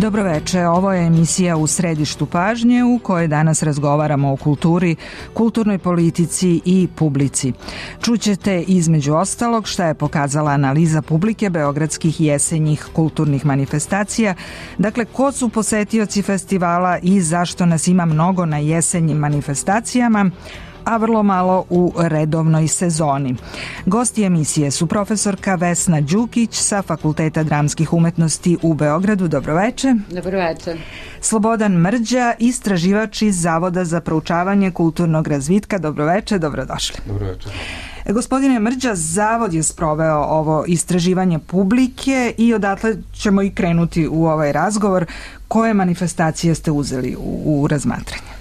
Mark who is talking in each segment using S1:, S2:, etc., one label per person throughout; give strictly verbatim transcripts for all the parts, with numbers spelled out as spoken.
S1: Dobroveče, ovo je emisija U središtu pažnje u kojoj danas razgovaramo o kulturi, kulturnoj politici i publici. Čućete između ostalog šta je pokazala analiza publike beogradskih jesenjih kulturnih manifestacija, dakle ko su posetioci festivala i zašto nas ima mnogo na jesenjim manifestacijama, a vrlo malo u redovnoj sezoni. Gosti emisije su profesorka Vesna Đukić sa Fakulteta dramskih umetnosti u Beogradu. Dobroveče.
S2: Dobroveče.
S1: Slobodan Mrđa, istraživač iz Zavoda za proučavanje kulturnog razvitka. Dobroveče, dobrodošli.
S3: Dobroveče.
S1: Gospodine Mrđa, Zavod je sproveo ovo istraživanje publike i odatle ćemo i krenuti u ovaj razgovor. Koje manifestacije ste uzeli u, u razmatranje?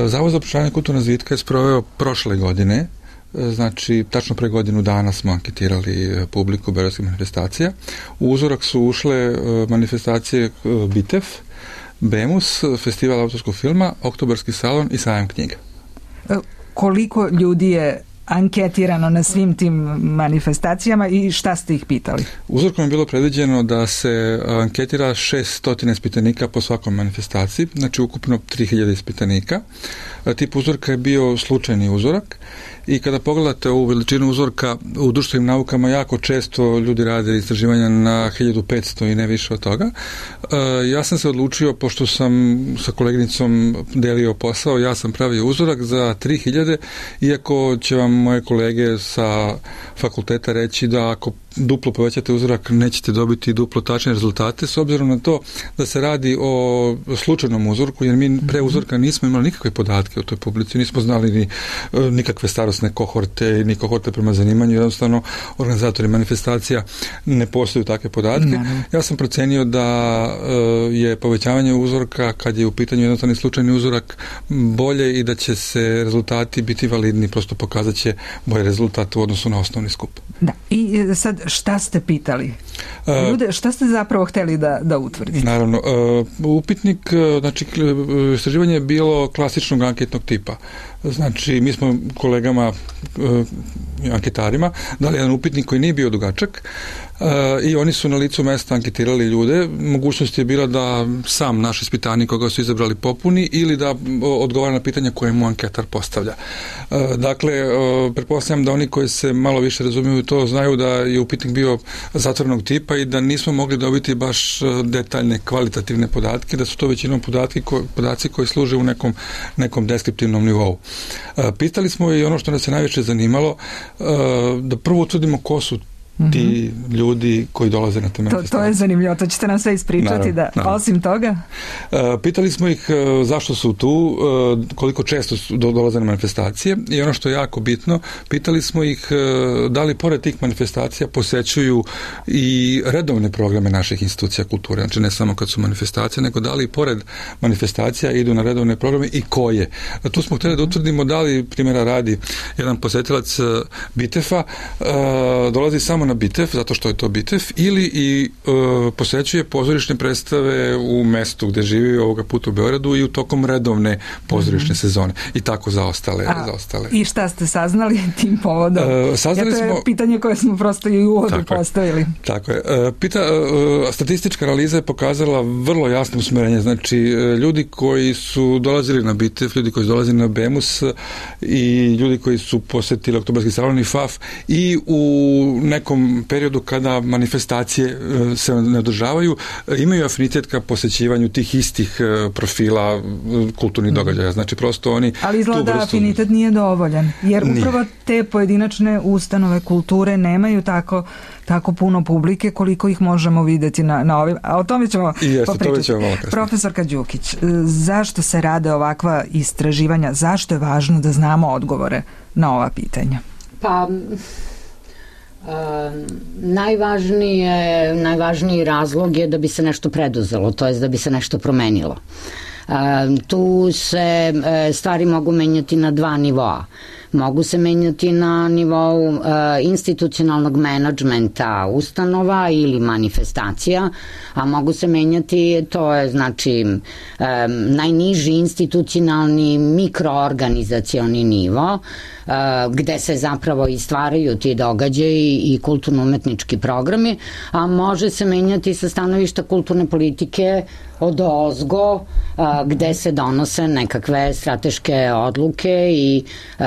S3: Zavod za proučavanje kulturnog razvitka je sproveo prošle godine, znači tačno pre godinu dana smo anketirali publiku beogradskih manifestacija. U uzorak su ušle manifestacije Bitef, Bemus, Festival autorskog filma, Oktobarski salon i Sajam knjiga.
S1: Koliko ljudi je anketirano na svim tim manifestacijama i šta ste ih pitali?
S3: Uzorkom je bilo predviđeno da se anketira šesto ispitanika po svakoj manifestaciji, znači ukupno tri hiljade ispitanika. Tip uzorka je bio slučajni uzorak i kada pogledate ovu veličinu uzorka u društvenim naukama, jako često ljudi rade istraživanja na hiljadu petsto i ne više od toga. Ja sam se odlučio, pošto sam sa koleginicom delio posao, ja sam pravio uzorak za tri hiljade, iako će vam moje kolege sa fakulteta reći da ako duplo povećate uzorak nećete dobiti duplo tačne rezultate, s obzirom na to da se radi o slučajnom uzorku, jer mi pre uzorka nismo imali nikakve podatke o toj publici, nismo znali ni nikakve starosne kohorte, ni kohorte prema zanimanju, jednostavno organizatori manifestacija ne postoju takve podatke. Ne. Ja sam procenio da je povećavanje uzorka, kad je u pitanju jednostavni slučajni uzorak, bolje i da će se rezultati biti validni, prosto pokazat će bolje rezultat u odnosu na osnovni skup.
S1: Da, i sad šta ste pitali? Ljude, šta ste zapravo hteli da, da utvrdite?
S3: Naravno, upitnik, znači istraživanje je bilo klasičnog anketnog tipa. Znači, mi smo kolegama anketarima dali jedan upitnik koji nije bio dugačak i oni su na licu mesta anketirali ljude. Mogućnost je bila da sam naš ispitanik koga su izabrali popuni ili da odgovara na pitanja koje mu anketar postavlja. Dakle, pretpostavljam da oni koji se malo više razumiju to znaju da je upitnik bio zatvorenog tipa i da nismo mogli dobiti baš detaljne kvalitativne podatke, da su to većinom podatki, podaci koji služe u nekom, nekom deskriptivnom nivou. Pitali smo i ono što nas je najviše zanimalo, da prvo utvrdimo ko su ti ljudi koji dolaze na te manifestacije.
S1: To, to je zanimljivo, to ćete nam sve ispričati. Naravno, da, naravno. Osim toga?
S3: Uh, pitali smo ih uh, zašto su tu, uh, koliko često su do, dolaze na manifestacije i ono što je jako bitno, pitali smo ih uh, da li pored tih manifestacija posećuju i redovne programe naših institucija kulture, znači ne samo kad su manifestacije, nego da li pored manifestacija idu na redovne programe i koje. Uh, tu smo htjeli da utvrdimo da li, primjera radi, jedan posetilac uh, Bitefa uh, dolazi samo na Bitef, zato što je to Bitef, ili i e, posećuje pozorišne predstave u mestu gde živi, ovoga puta u Beogradu, i u tokom redovne pozorišne mm-hmm. sezone. I tako za ostale.
S1: A,
S3: za ostale.
S1: I šta ste saznali tim povodom?
S3: E, saznali
S1: ja, to je
S3: smo,
S1: pitanje koje smo prosto i u uvodu postavili.
S3: Tako je. E, pita, e, statistička analiza je pokazala vrlo jasno usmerenje. Znači, e, ljudi koji su dolazili na Bitef, ljudi koji su dolazili na Bemus i ljudi koji su posetili Oktobarski salon i F A F i u nekom periodu kada manifestacije se ne održavaju, imaju afinitet ka posećivanju tih istih profila kulturnih događaja. Znači, prosto oni...
S1: Ali izgleda da afinitet nije dovoljan, jer nije. Upravo te pojedinačne ustanove kulture nemaju tako, tako puno publike koliko ih možemo vidjeti na, na ovim... A o tome ćemo
S3: jeste,
S1: popričati.
S3: Ćemo malo kasnije.
S1: Profesorka Đukić, zašto se rade ovakva istraživanja? Zašto je važno da znamo odgovore na ova pitanja?
S2: Pa... Uh, najvažnije, najvažniji razlog je da bi se nešto preduzelo, to jest da bi se nešto promenilo. Uh, tu se uh, stvari mogu menjati na dva nivoa. Mogu se menjati na nivou uh, institucionalnog menadžmenta ustanova ili manifestacija, a mogu se menjati, to je znači um, najniži institucionalni mikroorganizacioni nivo, uh, gde se zapravo i stvaraju ti događaji i kulturno-umetnički programi, a može se menjati sa stanovišta kulturne politike od ozgo, gde se donose nekakve strateške odluke i um,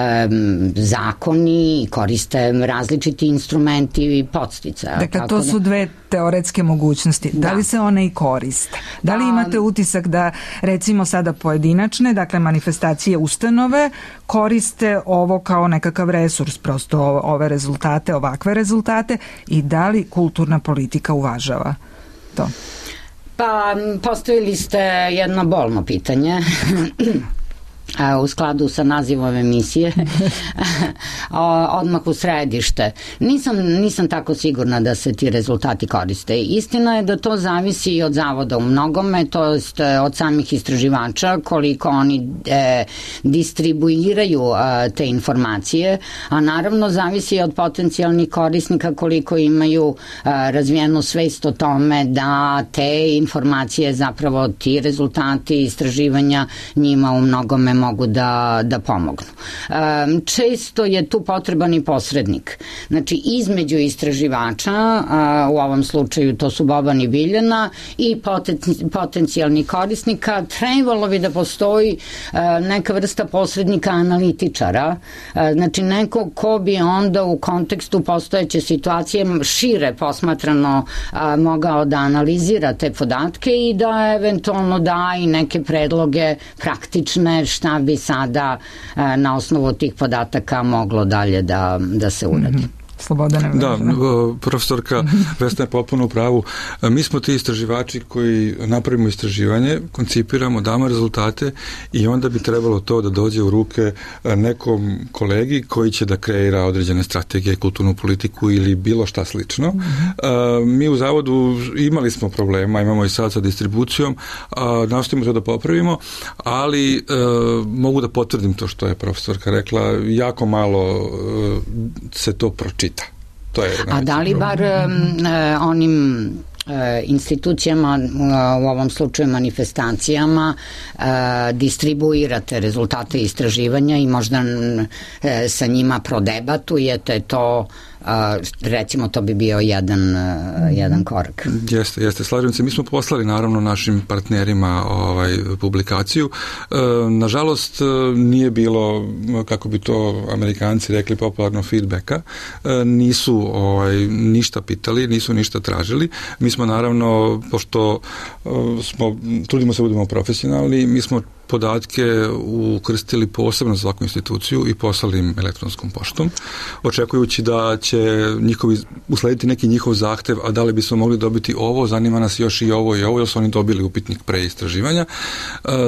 S2: zakoni i koriste različiti instrumenti i podsticaja.
S1: Dakle, to su dve teoretske mogućnosti. Da. da li se one i koriste? Da li imate utisak da, recimo sada pojedinačne, dakle manifestacije ustanove, koriste ovo kao nekakav resurs, prosto ove rezultate, ovakve rezultate, i da li kulturna politika uvažava to?
S2: Pa, postavili ste jedno bolno pitanje u skladu sa nazivom emisije odmah u središte. Nisam, nisam tako sigurna da se ti rezultati koriste. Istina je da to zavisi i od zavoda u mnogome, to je od samih istraživača, koliko oni e, distribuiraju e, te informacije, a naravno zavisi i od potencijalnih korisnika koliko imaju e, razvijenu svest o tome da te informacije, zapravo ti rezultati istraživanja njima u mnogome mogu da, da pomognu. Um, često je tu potreban i posrednik. Znači, između istraživača, a, u ovom slučaju to su Boban i Biljana, i poten, potencijalnih korisnika, trebalo bi da postoji a, neka vrsta posrednika analitičara, a, znači neko ko bi onda u kontekstu postojeće situacije šire posmatrano a, mogao da analizira te podatke i da eventualno da i neke predloge praktične šta bi sada na osnovu tih podataka moglo dalje da, da se uradi. Mm-hmm.
S1: Slobodane.
S3: Da, profesorka Vesna je potpuno u pravu. Mi smo ti istraživači koji napravimo istraživanje, koncipiramo, damo rezultate i onda bi trebalo to da dođe u ruke nekom kolegi koji će da kreira određene strategije, kulturnu politiku ili bilo šta slično. Mm-hmm. Mi u zavodu imali smo problema, imamo i sad sa distribucijom, nastavimo to da popravimo, ali mogu da potvrdim to što je profesorka rekla, jako malo se to pročita. To je
S2: A da li bar um, onim uh, institucijama, uh, u ovom slučaju manifestacijama, uh, distribuirate rezultate istraživanja i možda uh, sa njima prodebatujete to, Uh, recimo to bi bio jedan, uh, jedan korak.
S3: Jeste, jeste, slažem se. Mi smo poslali naravno našim partnerima ovaj, publikaciju. Uh, nažalost nije bilo, kako bi to Amerikanci rekli, popularno feedbacka. Uh, nisu ovaj, ništa pitali, nisu ništa tražili. Mi smo naravno, pošto uh, smo, trudimo se budemo profesionalni, mi smo podatke ukrstili posebno za svaku instituciju i poslali im elektronskom poštom, očekujući da će njihovi, uslediti neki njihov zahtev, a da li bismo mogli dobiti ovo, zanima nas još i ovo i ovo, jer su oni dobili upitnik pre istraživanja.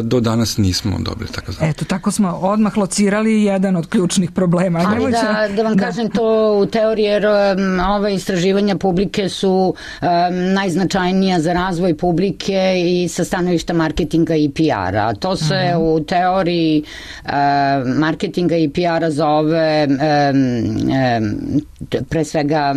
S3: Do danas nismo dobili takav zahtev.
S1: Eto, tako smo odmah locirali jedan od ključnih problema.
S2: Ali Nemoća... da, da vam da. kažem to u teoriji, jer um, ove istraživanja publike su um, najznačajnija za razvoj publike i sa stanovišta marketinga i P R-a. To se uh-huh. u teoriji uh, marketinga i P R-a zove um, um, pre svega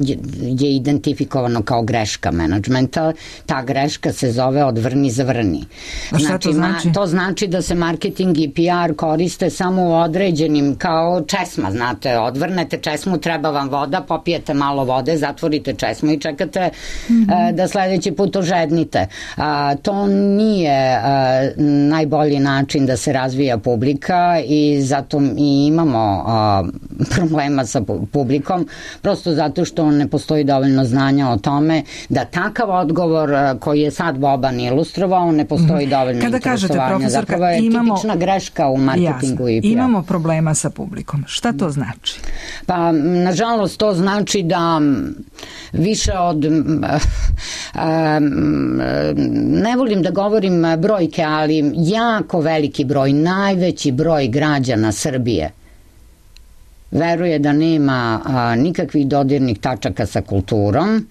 S2: je, je identifikovano kao greška menadžmenta. Ta greška se zove odvrni zavrni.
S1: A šta znači, to znači?
S2: Ma, to znači da se marketing i P R koriste samo u određenim, kao česma, znate, odvrnete česmu, treba vam voda, popijete malo vode, zatvorite česmu i čekate mm-hmm. uh, da sledeći put ožednite. Uh, to nije uh, najbolji način da se razvija publika i zato i imamo uh, problema sa publikom, prosto zato što ne postoji dovoljno znanja o tome da takav odgovor koji je sad Boban ilustrovao, ne postoji dovoljno
S1: Kada
S2: interesovanja.
S1: Kažete,
S2: zapravo je
S1: imamo,
S2: tipična greška u marketingu
S1: jasno,
S2: i P R.
S1: Imamo problema sa publikom. Šta to znači?
S2: Pa, nažalost, to znači da više od ne volim da govorim brojke, ali jako veliki broj, najveći broj građana Srbije veruje da nema a, nikakvih dodirnih tačaka sa kulturom,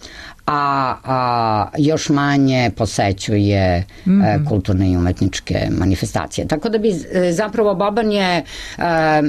S2: a, a još manje posećuje mm. e, kulturne i umetničke manifestacije. Tako da bi e, zapravo Boban je e, e,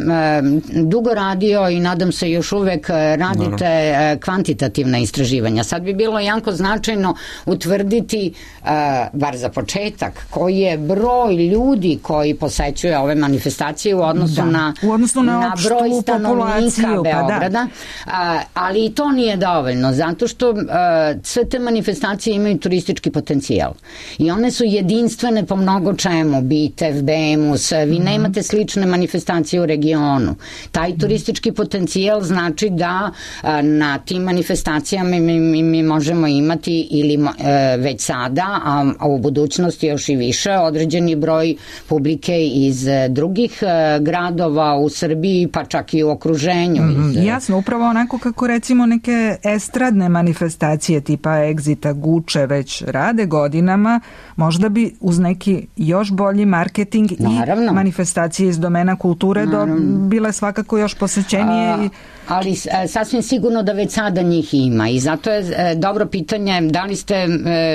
S2: dugo radio i nadam se još uvek radite e, kvantitativna istraživanja. Sad bi bilo jako značajno utvrditi, e, bar za početak, koji je broj ljudi koji posećuje ove manifestacije u odnosu da. na,
S1: u odnosu na,
S2: na broj stanovnika Beograda. Da. A, ali i to nije dovoljno, zato što e, sve te manifestacije imaju turistički potencijal i one su jedinstvene po mnogo čemu, Bitev, Bemus, vi nemate slične manifestacije u regionu. Taj turistički potencijal znači da a, na tim manifestacijama mi, mi, mi možemo imati ili e, već sada, a, a u budućnosti još i više, određeni broj publike iz drugih e, gradova u Srbiji, pa čak i u okruženju.
S1: Mm, iz, jasno, upravo onako kako recimo neke estradne manifestacije tipa Exita, Guče već rade godinama, možda bi uz neki još bolji marketing Naravno. i manifestacije iz domena kulture do, bile svakako još posećenije.
S2: A, ali sasvim sigurno da već sada njih ima i zato je e, dobro pitanje da li ste e,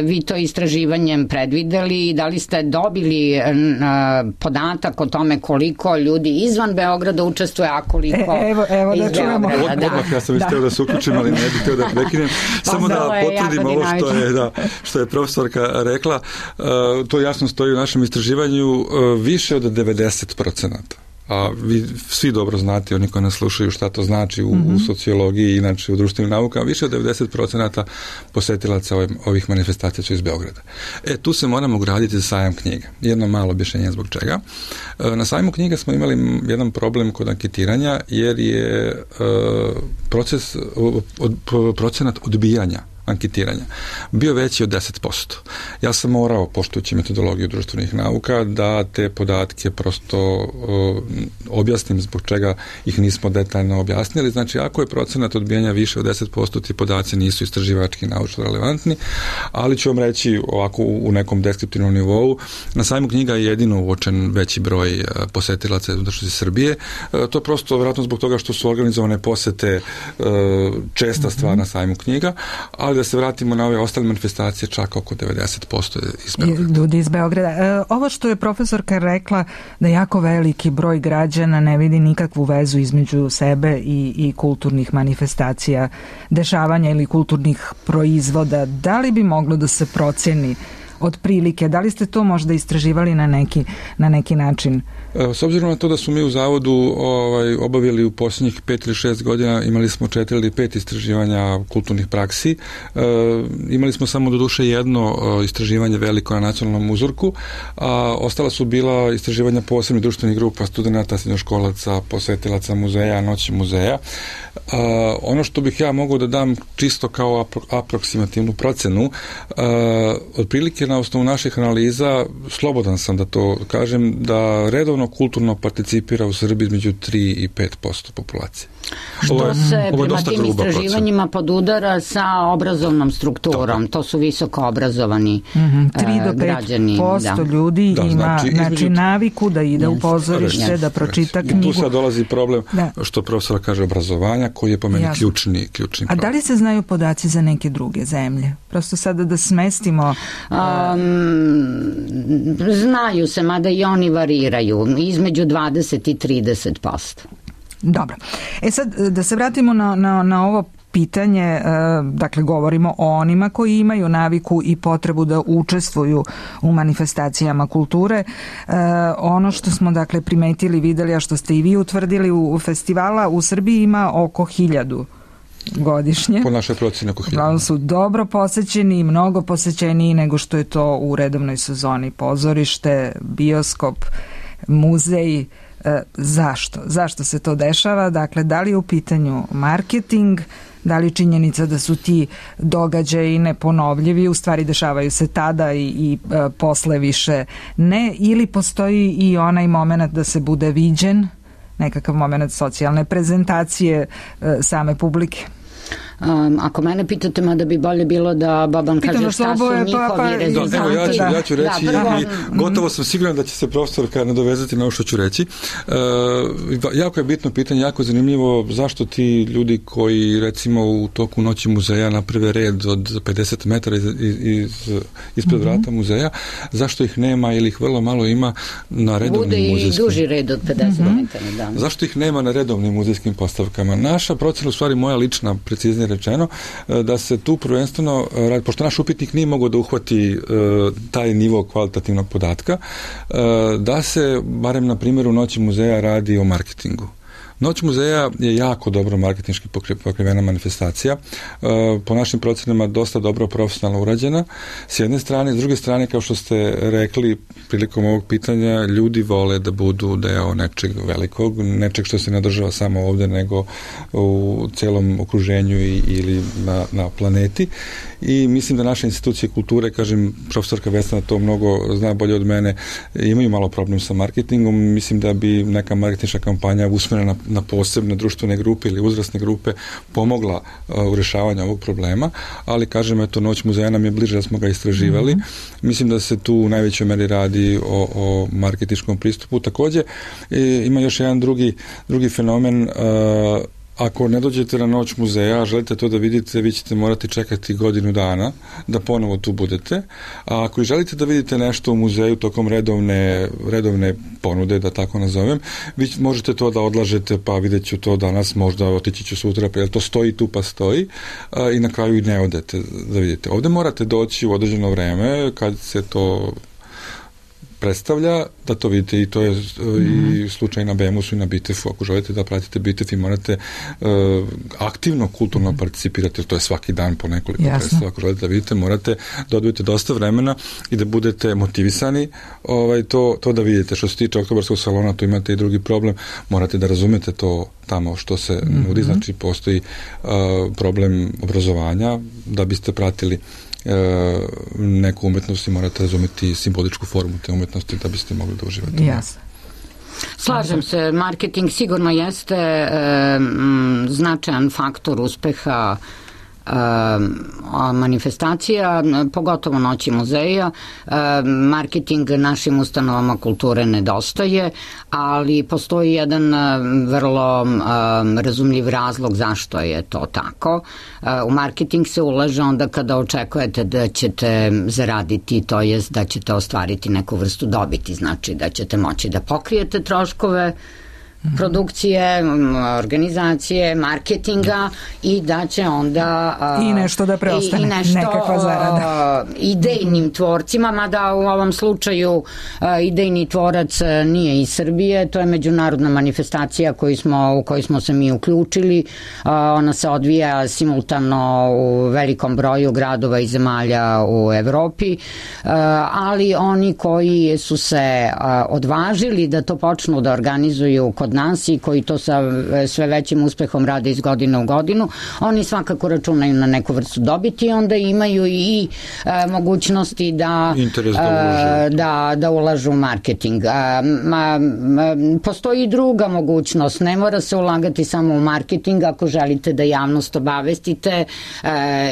S2: vi to istraživanjem predvideli i da li ste dobili e, podatak o tome koliko ljudi izvan Beograda učestvuje, a koliko
S1: e, evo, evo da
S2: iz
S1: čujemo.
S2: Beograda. Da.
S3: Odmah ja sam da. Htio da se uključim, ali ne bih htio da prekinem. Samo da potvrdim ovo što je, da, što je profesorka rekla. Uh, to jasno stoji u našem istraživanju, uh, više od devedeset procenata. A vi svi dobro znate, oni koji nas slušaju, šta to znači u, mm-hmm. u sociologiji i inače u društvenim naukama, više od devedeset procenata posetilaca ovih, ovih manifestacija su iz Beograda. E, tu se moramo ugraditi za sajam knjiga. Jedno malo objašnjenje zbog čega. E, na sajmu knjiga smo imali jedan problem kod anketiranja, jer je e, proces, od, procenat odbijanja anketiranja bio veći od deset posto. Ja sam morao, poštujući metodologiju društvenih nauka, da te podatke prosto uh, objasnim zbog čega ih nismo detaljno objasnili. Znači, ako je procenat odbijanja više od deset posto, ti podaci nisu istraživački naučno relevantni, ali ću vam reći ovako u, u nekom deskriptivnom nivou, na sajmu knjiga je jedino uočen veći broj uh, posetilaca iz Srbije. Uh, to je prosto vjerojatno zbog toga što su organizovane posete uh, česta stvar na sajmu knjiga, ali da se vratimo na ove ostale manifestacije, čak oko devedeset posto iz Beograda.
S1: Ljudi iz Beograda. E, ovo što je profesorka rekla, da jako veliki broj građana ne vidi nikakvu vezu između sebe i, i kulturnih manifestacija, dešavanja ili kulturnih proizvoda, da li bi moglo da se proceni otprilike, da li ste to možda istraživali na neki, na neki način?
S3: S obzirom na to da su mi u zavodu ovaj, obavili u posljednjih pet ili šest godina, imali smo četiri ili pet istraživanja kulturnih praksi. E, imali smo samo do duše jedno istraživanje veliko na nacionalnom uzorku, a ostala su bila istraživanja posebnih društvenih grupa, studenata, srednjoškolaca, posetilaca muzeja, noći muzeja. A, ono što bih ja mogao da dam čisto kao apro- aproksimativnu procenu, a, otprilike na osnovu naših analiza, slobodan sam da to kažem, da redovno kulturno participira u Srbiji između tri i pet posto populacije.
S2: Što je, se prema tim istraživanjima podudara sa obrazovnom strukturom. To, to su visoko obrazovani
S1: mm-hmm. tri do pet posto
S2: da.
S1: ljudi
S3: da,
S1: ima
S3: znači,
S1: znači
S3: između...
S1: naviku da ide yes. u pozorište, yes. da pročita yes. knjigu.
S3: I tu sad dolazi problem,
S1: da.
S3: što profesor kaže, obrazovanja, koji je po meni Jasno. ključni, ključni problem.
S1: A da li se znaju podaci za neke druge zemlje? Prosto sada da smestimo...
S2: Um, znaju se, mada i oni variraju, između dvadeset i trideset posto.
S1: Dobro. E sad, da se vratimo na, na, na ovo pitanje, dakle govorimo o onima koji imaju naviku i potrebu da učestvuju u manifestacijama kulture. Ono što smo dakle primetili, videli, a što ste i vi utvrdili u festivala u Srbiji ima oko hiljadu godišnje.
S3: Po našoj procjeni oko hiljadu.
S1: Uglavnom su dobro posećeni i mnogo posećeniji nego što je to u redovnoj sezoni. Pozorište, bioskop, muzej. E, zašto? Zašto se to dešava? Dakle, da li je u pitanju marketing, da li činjenica da su ti događaji neponovljivi, u stvari dešavaju se tada i, i e, posle više ne, ili postoji i onaj moment da se bude viđen, nekakav moment socijalne prezentacije e, same publike?
S2: Um, ako mene pitate, mada bi bolje bilo da Boban kaže šta su njihovi pa, pa, rezultati.
S3: Evo, ja ću, ja ću reći,
S2: da, prvo,
S3: i gotovo sam siguran da će se profesorka nadovezati na ovo što ću reći. E, jako je bitno pitanje, jako je zanimljivo zašto ti ljudi koji recimo u toku noći muzeja naprave red od pedeset metara iz, iz, ispred mm-hmm. vrata muzeja, zašto ih nema ili ih vrlo malo ima na redovnim
S2: Bude
S3: muzejskim.
S2: Bude i duži red od pedeset mm-hmm. metara, da.
S3: Zašto ih nema na redovnim muzejskim postavkama? Naša procena, u stvari moja lična, preciznije rečeno, da se tu prvenstveno, pošto naš upitnik nije mogao da uhvati uh, taj nivo kvalitativnog podatka, uh, da se, barem na primjeru Noći muzeja, radi o marketingu. Noć muzeja je jako dobro marketinški pokrivena manifestacija, po našim procenama dosta dobro profesionalno urađena, s jedne strane, s druge strane, kao što ste rekli prilikom ovog pitanja, ljudi vole da budu deo nečeg velikog, nečeg što se ne održava samo ovde, nego u celom okruženju i, ili na, na planeti, i mislim da naše institucije kulture, kažem, profesorka Vesna to mnogo zna bolje od mene, imaju malo problem sa marketingom. Mislim da bi neka marketinška kampanja usmerena na posebne društvene grupe ili uzrasne grupe pomogla uh, u rešavanju ovog problema, ali kažem, eto, Noć muzeja nam je bliže da smo ga istraživali. Mm-hmm. Mislim da se tu u najvećoj meri radi o, o marketinškom pristupu. Takođe, e, ima još jedan drugi, drugi fenomen. Uh, Ako ne dođete na Noć muzeja, želite to da vidite, vi ćete morati čekati godinu dana da ponovo tu budete. A ako želite da vidite nešto u muzeju tokom redovne, redovne ponude, da tako nazovem, vi možete to da odlažete, pa vidjet ću to danas, možda otići ću sutra, jer to stoji tu pa stoji, a, i na kraju i ne odete da vidite. Ovde morate doći u određeno vreme, kad se to predstavlja, da to vidite, i to je mm-hmm. i slučaj na Bemusu i na Bitefu. Ako želite da pratite Bitef i morate uh, aktivno kulturno mm-hmm. participirati, jer to je svaki dan po nekoliko predstava. Ako želite da vidite, morate da odvojite dosta vremena i da budete motivisani ovaj, to, to da vidite. Što se tiče Oktobarskog salona, tu imate i drugi problem, morate da razumete to tamo što se mm-hmm. nudi, znači postoji uh, problem obrazovanja, da biste pratili E, neku umetnost i morate razumeti simboličku formu te umetnosti da biste mogli da uživate.
S1: Jasno.
S2: Slažem se, marketing sigurno jeste e, m, značajan faktor uspeha manifestacija, pogotovo Noći muzeja. Marketing našim ustanovama kulture nedostaje, ali postoji jedan vrlo razumljiv razlog zašto je to tako. U marketing se ulaže onda kada očekujete da ćete zaraditi, to jest da ćete ostvariti neku vrstu dobiti, znači da ćete moći da pokrijete troškove produkcije, organizacije, marketinga i da će onda
S1: uh, i nešto da preostane,
S2: i, i nešto,
S1: nekakva zarada.
S2: Uh, idejnim tvorcima, mada u ovom slučaju uh, idejni tvorac nije iz Srbije, to je međunarodna manifestacija koju smo, u kojoj smo se mi uključili. Uh, ona se odvija simultano u velikom broju gradova i zemalja u Evropi, uh, ali oni koji su se uh, odvažili da to počnu da organizuju kod nas i koji to sa sve većim uspehom rade iz godine u godinu, oni svakako računaju na neku vrstu dobiti i onda imaju i e, mogućnosti da,
S3: da,
S2: e, da, da ulažu u marketing. E, ma, ma, postoji i druga mogućnost, ne mora se ulagati samo u marketing ako želite da javnost obavestite e,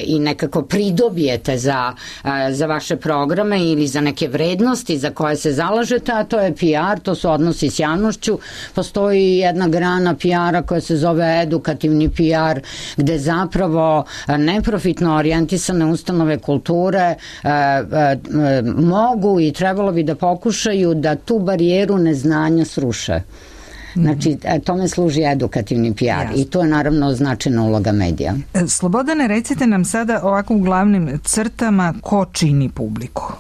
S2: i nekako pridobijete za, e, za vaše programe ili za neke vrednosti za koje se zalažete, a to je P R, to su odnosi s javnošću. Postoji i jedna grana P R-a koja se zove edukativni P R, gde zapravo neprofitno orijentisane ustanove kulture e, e, mogu i trebalo bi da pokušaju da tu barijeru neznanja sruše. Znači, tome služi edukativni P R. Jasne. I to je naravno značajna uloga medija.
S1: Slobodane, recite nam sada ovako u glavnim crtama ko čini publiku?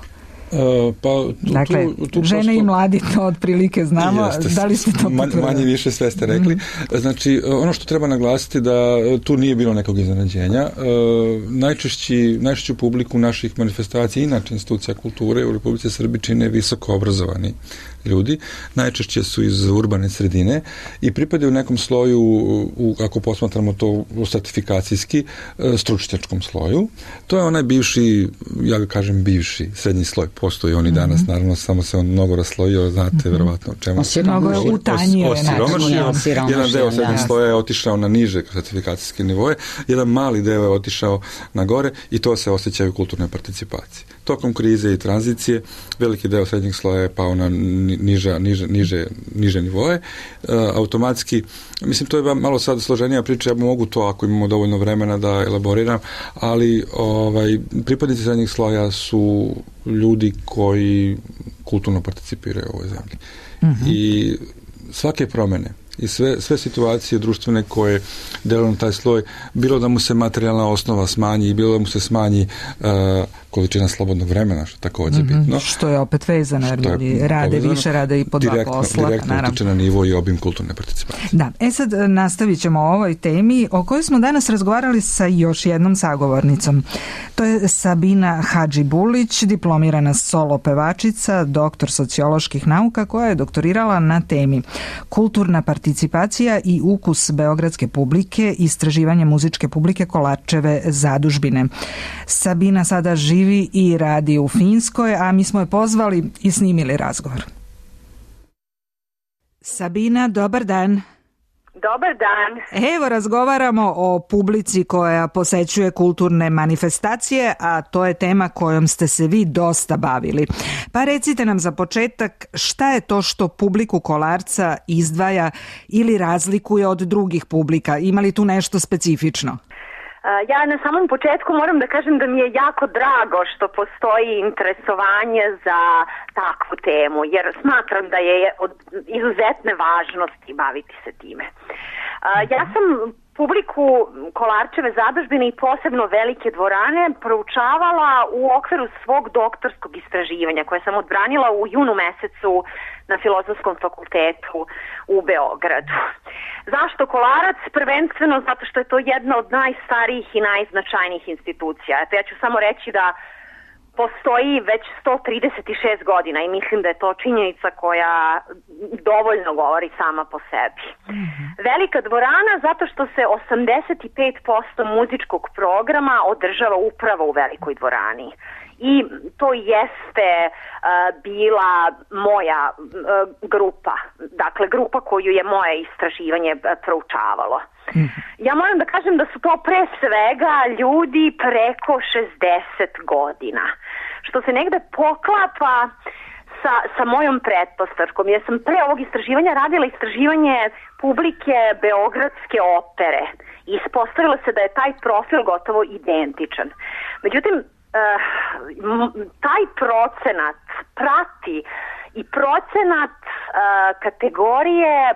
S3: Uh, pa, tu,
S1: dakle,
S3: tu, tu
S1: žene
S3: prosto,
S1: i mladi to otprilike znamo, jeste, da li ste to potvrdili?
S3: Manje više sve ste rekli. Mm. Znači, ono što treba naglasiti da tu nije bilo nekog iznenađenja. Uh, najčešći, najčešću publiku naših manifestacija, inače institucija kulture u Republici Srbiji čine visoko obrazovani ljudi, najčešće su iz urbane sredine i pripadaju nekom sloju, u, ako posmatramo to stratifikacijski, stručnjačkom sloju. To je onaj bivši, ja ga kažem bivši, srednji sloj postoji on i danas, mm-hmm. naravno, samo se on mnogo raslojio, znate, mm-hmm. verovatno o čemu.
S1: Mnogo je utanjio.
S3: Osiromašio. Jedan deo srednjeg sloja je otišao na niže klasifikacijske nivoje, jedan mali deo je otišao na gore i to se osjeća u kulturnoj participaciji. Tokom krize i tranzicije veliki deo srednjeg sloja je pao na niže, niže, niže, niže nivoje. E, automatski, mislim, to je malo sad složenija priča, ja mogu to ako imamo dovoljno vremena da elaboriram, ali ovaj, pripadnici srednjeg sloja su ljudi koji kulturno participiraju u ovoj zemlji. Mm-hmm. I svake promjene i sve, sve situacije društvene koje deluju na taj sloj, bilo da mu se materijalna osnova smanji, bilo da mu se smanji uh, količina slobodnog vremena, što također mm-hmm. bitno.
S1: Što je opet vezano, jer ljudi rade povezano, više, rade i po dva
S3: direktno,
S1: posla.
S3: Direktno utiče na nivo i obim kulturne participacije.
S1: Da, e sad nastavit ćemo o ovoj temi o kojoj smo danas razgovarali sa još jednom sagovornicom. To je Sabina Hadžibulić, diplomirana solo pevačica, doktor socioloških nauka, koja je doktorirala na temi kulturna participacija i ukus beogradske publike, istraživanje muzičke publike Kolarčeve zadužbine. Sabina sada živi i radi u Finskoj, a mi smo je pozvali i snimili razgovor. Sabina, dobar dan.
S4: Dobar dan.
S1: Evo, razgovaramo o publici koja posećuje kulturne manifestacije, a to je tema kojom ste se vi dosta bavili. Pa recite nam za početak šta je to što publiku Kolarca izdvaja ili razlikuje od drugih publika? Ima li tu nešto specifično?
S4: Ja na samom početku moram da kažem da mi je jako drago što postoji interesovanje za takvu temu, jer smatram da je od izuzetne važnosti baviti se time. Ja sam publiku Kolarčeve zadužbine i posebno velike dvorane proučavala u okviru svog doktorskog istraživanja koje sam odbranila u junu mesecu na Filozofskom fakultetu u Beogradu. Zašto Kolarac? Prvenstveno zato što je to jedna od najstarijih i najznačajnijih institucija. Eto, ja ću samo reći da postoji već sto trideset šest godina i mislim da je to činjenica koja dovoljno govori sama po sebi. Mm-hmm. Velika dvorana zato što se osamdeset pet posto muzičkog programa održava upravo u velikoj dvorani. I to jeste uh, bila moja uh, grupa, dakle grupa koju je moje istraživanje uh, proučavalo. Mm. Ja moram da kažem da su to pre svega ljudi preko šezdeset godina, što se negde poklapa sa, sa mojom pretpostavkom. Ja sam pre ovog istraživanja radila istraživanje publike Beogradske opere i ispostavilo se da je taj profil gotovo identičan. Međutim, Uh, taj procenat prati i procenat uh, kategorije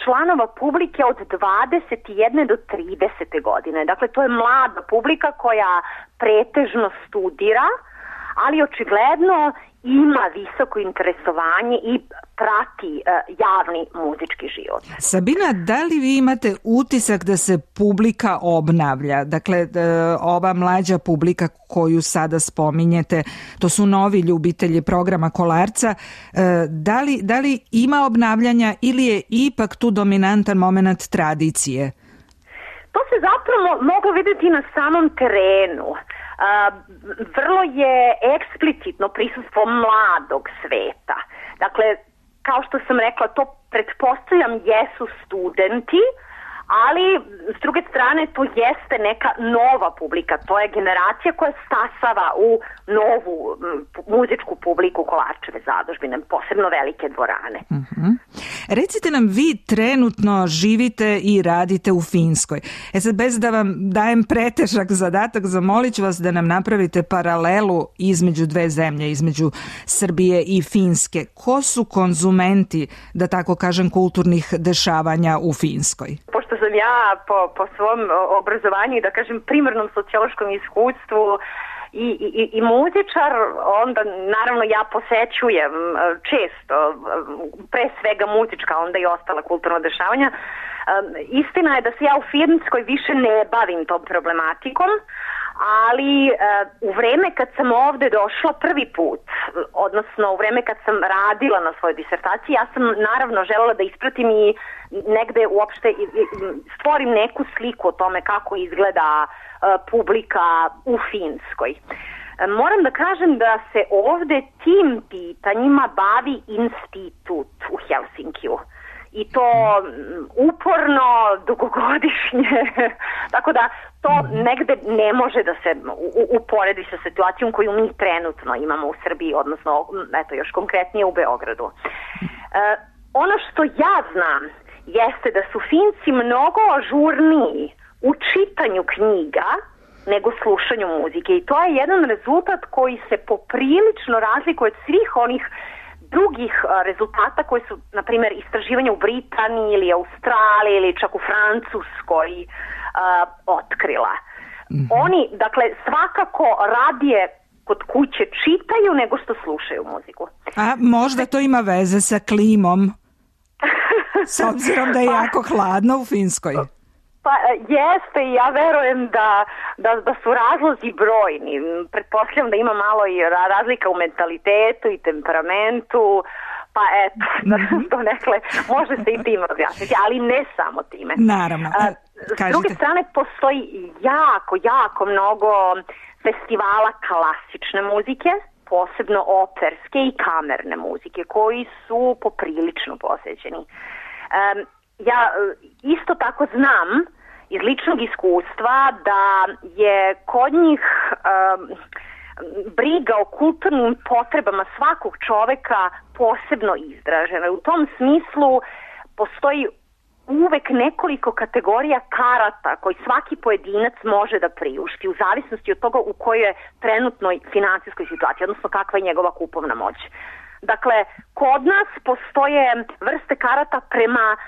S4: članova publike od dvadeset jedne do trideset godine. Dakle, to je mlada publika koja pretežno studira, ali očigledno ima visoko interesovanje i prati uh, javni muzički život.
S1: Sabina, da li vi imate utisak da se publika obnavlja? Dakle, ova mlađa publika koju sada spominjete, to su novi ljubitelji programa Kolarca. Da li, da li ima obnavljanja ili je ipak tu dominantan moment tradicije?
S4: To se zapravo moglo vidjeti na samom terenu. Uh, vrlo je eksplicitno prisustvo mladog sveta. Dakle, kao što sam rekla, to pretpostavljam jesu studenti, ali s druge strane to jeste neka nova publika, to je generacija koja stasava u novu m, muzičku publiku Kolarčeve zadužbine, posebno velike dvorane.
S1: Uh-huh. Recite nam, vi trenutno živite i radite u Finskoj. E sad, bez da vam dajem pretežak zadatak, zamolit ću vas da nam napravite paralelu između dve zemlje, između Srbije i Finske. Ko su konzumenti, da tako kažem, kulturnih dešavanja u Finskoj?
S4: Pošto sam ja po, po svom obrazovanju i da kažem primarnom sociološkom iskustvu i, i, i muzičar, onda naravno ja posećujem često, pre svega muzička, onda i ostala kulturna dešavanja. Istina je da se ja u Finskoj više ne bavim tom problematikom, ali uh, u vreme kad sam ovde došla prvi put, odnosno u vreme kad sam radila na svojoj disertaciji, ja sam naravno želela da ispratim i negde uopšte i, i, stvorim neku sliku o tome kako izgleda uh, publika u Finskoj. Moram da kažem da se ovde tim pitanjima bavi institut u Helsinkiju. I to uporno, dugogodišnje, tako da to negde ne može da se uporedi sa situacijom koju mi trenutno imamo u Srbiji, odnosno, eto, još konkretnije u Beogradu. E, ono što ja znam jeste da su Finci mnogo ažurniji u čitanju knjiga nego slušanju muzike i to je jedan rezultat koji se poprilično razlikuje od svih onih drugih rezultata koji su, na primjer, istraživanja u Britaniji ili Australiji ili čak u Francuskoj uh, otkrila. Mm-hmm. Oni, dakle, svakako radije kod kuće čitaju nego što slušaju muziku.
S1: A možda to ima veze sa klimom, s obzirom da je jako hladno u Finskoj.
S4: Pa jeste i ja verujem da, da, da su razlozi brojni. Pretpostavljam da ima malo i razlika u mentalitetu i temperamentu, pa eto, mm-hmm. to nekle, može se i tim objasniti, ali ne samo time.
S1: Naravno.
S4: A, s druge strane, postoji jako, jako mnogo festivala klasične muzike, posebno operske i kamerne muzike, koji su poprilično posećeni. Um, ja isto tako znam iz ličnog iskustva da je kod njih um, briga o kulturnim potrebama svakog čoveka posebno izražena. U tom smislu postoji uvek nekoliko kategorija karata koji svaki pojedinac može da priušti u zavisnosti od toga u kojoj je trenutnoj finansijskoj situaciji, odnosno kakva je njegova kupovna moć. Dakle, kod nas postoje vrste karata prema uh,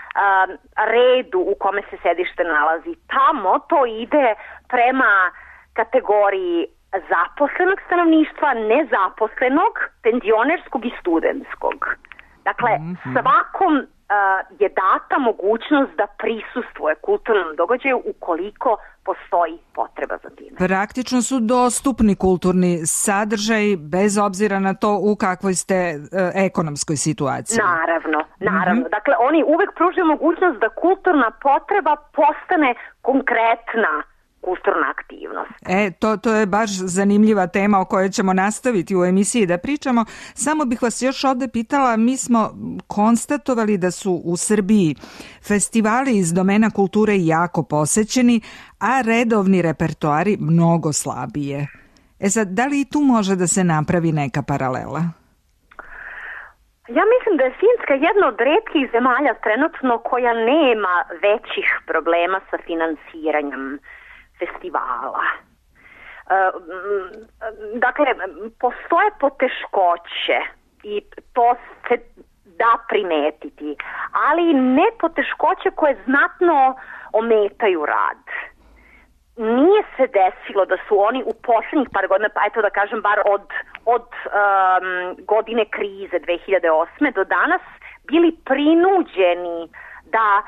S4: redu u kome se sedište nalazi. Tamo to ide prema kategoriji zaposlenog stanovništva, nezaposlenog, penzionerskog i studentskog. Dakle, mm-hmm. svakom uh, je data mogućnost da prisustvuje kulturnom događaju ukoliko postoji potreba za time.
S1: Praktično su dostupni kulturni sadržaj bez obzira na to u kakvoj ste uh, ekonomskoj situaciji.
S4: Naravno, naravno. Mm-hmm. Dakle, oni uvek pružaju mogućnost da kulturna potreba postane konkretna kulturna aktivnost.
S1: E, to, to je baš zanimljiva tema o kojoj ćemo nastaviti u emisiji da pričamo. Samo bih vas još ovde pitala, mi smo konstatovali da su u Srbiji festivali iz domena kulture jako posećeni, a redovni repertoari mnogo slabije. E sad, da li i tu može da se napravi neka paralela?
S4: Ja mislim da je Finska jedna od retkih zemalja trenutno koja nema većih problema sa finansiranjem festivala. Dakle, postoje poteškoće i to se da primetiti, ali ne poteškoće koje znatno ometaju rad. Nije se desilo da su oni u posljednjih par godina, pa eto da kažem bar od, od um, godine krize dve hiljade osme do danas, bili prinuđeni da uh,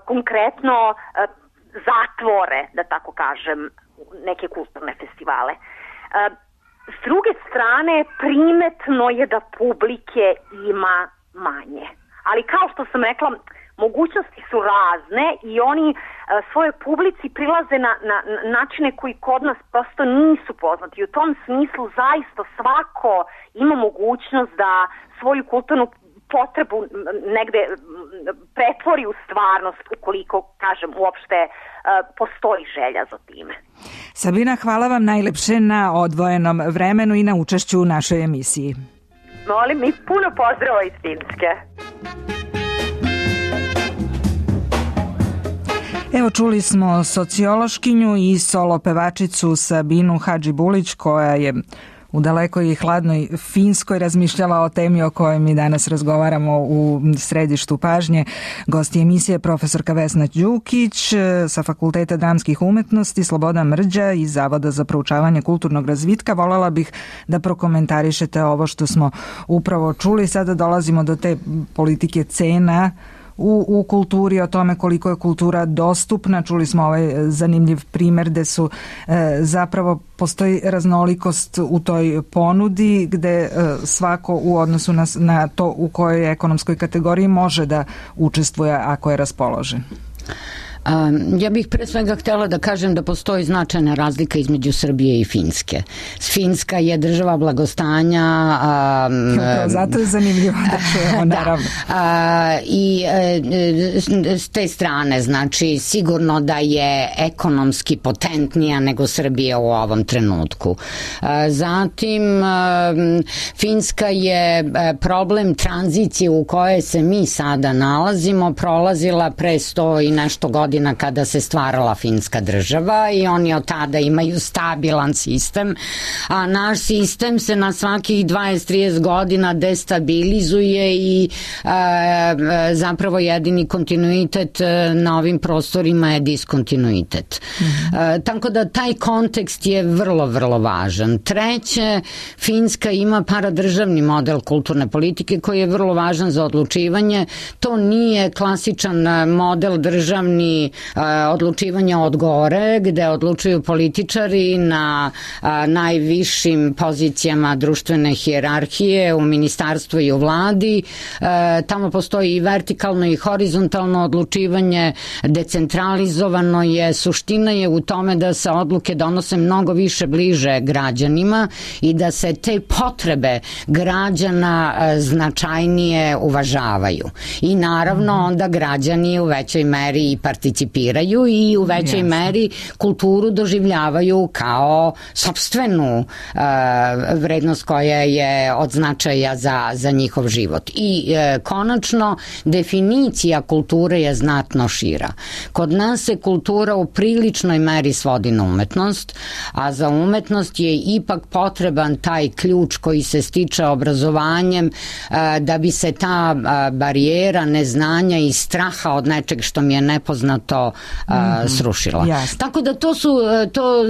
S4: konkretno uh, zatvore, da tako kažem, neke kulturne festivale. Uh, s druge strane, primetno je da publike ima manje. Ali kao što sam rekla, mogućnosti su razne i oni uh, svojoj publici prilaze na, na, na načine koji kod nas prosto nisu poznati. U tom smislu zaista svako ima mogućnost da svoju kulturnu potrebu negde pretvori u stvarnost ukoliko, kažem, uopšte uh, postoji želja za time.
S1: Sabina, hvala vam najlepše na odvojenom vremenu i na učešću u našoj emisiji.
S4: Molim i puno pozdrava iz Finske.
S1: Evo, čuli smo sociološkinju i solo pevačicu Sabinu Hadžibulić koja je u dalekoj i hladnoj Finskoj razmišljala o temi o kojoj mi danas razgovaramo u središtu pažnje. Gosti emisije profesorka Vesna Đukić sa Fakulteta dramskih umetnosti, Slobodan Mrđa iz Zavoda za proučavanje kulturnog razvitka. Volela bih da prokomentarišete ovo što smo upravo čuli. Sada dolazimo do te politike cena U, u kulturi, o tome koliko je kultura dostupna. Čuli smo ovaj zanimljiv primer gde su e, zapravo postoji raznolikost u toj ponudi gde e, svako u odnosu na, na to u kojoj ekonomskoj kategoriji može da učestvuje ako je raspoložen.
S2: Ja bih pre svega htjela da kažem da postoji značajna razlika između Srbije i Finske. Finska je država blagostanja. Um,
S1: Zato je zanimljivo da čujemo, naravno.
S2: Da, uh, i uh, s te strane, znači, sigurno da je ekonomski potentnija nego Srbija u ovom trenutku. Uh, zatim, uh, Finska je uh, problem tranzicije u kojoj se mi sada nalazimo prolazila pre sto i nešto godina kada se stvarala finska država i oni od tada imaju stabilan sistem, a naš sistem se na svakih dvadeset do trideset godina destabilizuje i a, zapravo jedini kontinuitet na ovim prostorima je diskontinuitet. Mm-hmm. A, tako da taj kontekst je vrlo, vrlo važan. Treće, Finska ima paradržavni model kulturne politike koji je vrlo važan za odlučivanje. To nije klasičan model državni odlučivanja od gore, gde odlučuju političari na a, najvišim pozicijama društvene hijerarhije u ministarstvu i u vladi. E, tamo postoji i vertikalno i horizontalno odlučivanje, decentralizovano je, suština je u tome da se odluke donose mnogo više bliže građanima i da se te potrebe građana a, značajnije uvažavaju. I naravno onda građani u većoj meri i participiraju i u većoj Jasne. meri kulturu doživljavaju kao sopstvenu uh, vrednost koja je od značaja za, za njihov život. I uh, konačno, definicija kulture je znatno šira. Kod nas se kultura u priličnoj meri svodi na umetnost, a za umetnost je ipak potreban taj ključ koji se stiče obrazovanjem uh, da bi se ta uh, barijera neznanja i straha od nečeg što mi je nepoznato uh, mm-hmm. srušila.
S1: Jasne.
S2: Tako da to su to,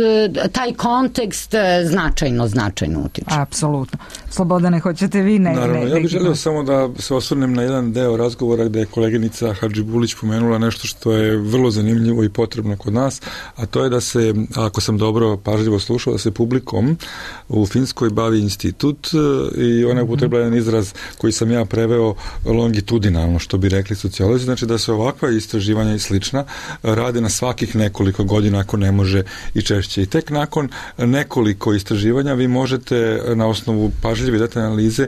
S2: taj kontekst značajno, značajno utiče.
S1: Apsolutno. Slobodane, hoćete vi ne?
S3: Naravno,
S1: ne,
S3: ja bih želeo samo da se osvrnem na jedan deo razgovora gde je koleginica Hadžibulić pomenula nešto što je vrlo zanimljivo i potrebno kod nas, a to je da se, ako sam dobro pažljivo slušao, da se publikom u Finskoj bavi institut i ona je upotrebila jedan izraz koji sam ja preveo longitudinalno, što bi rekli sociolozi, znači da se ovakva istraživanja i slična rade na svakih nekoliko godina, ako ne može i češće. I tek nakon nekoliko istraživanja vi možete na osnovu pažljive detaljne analize